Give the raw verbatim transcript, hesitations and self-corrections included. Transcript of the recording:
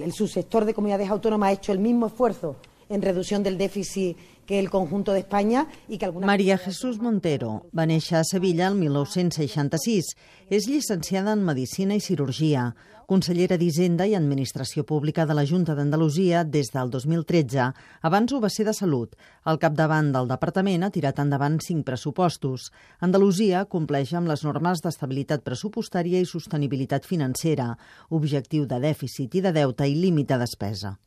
El subsector de comunidades autónomas ha hecho el mismo esfuerzo en reducción del déficit que el conjunto de España i que alguna... María Jesús Montero va néixer a Sevilla el mil nou-cents seixanta-sis. És llicenciada en Medicina i Cirurgia, consellera d'Hisenda i Administració Pública de la Junta d'Andalusia des del dos mil tretze. Abans ho va ser de Salut. Al capdavant del departament ha tirat endavant cinc pressupostos. Andalusia compleix amb les normes d'estabilitat pressupostària i sostenibilitat financera, objectiu de dèficit i de deute i límit de despesa.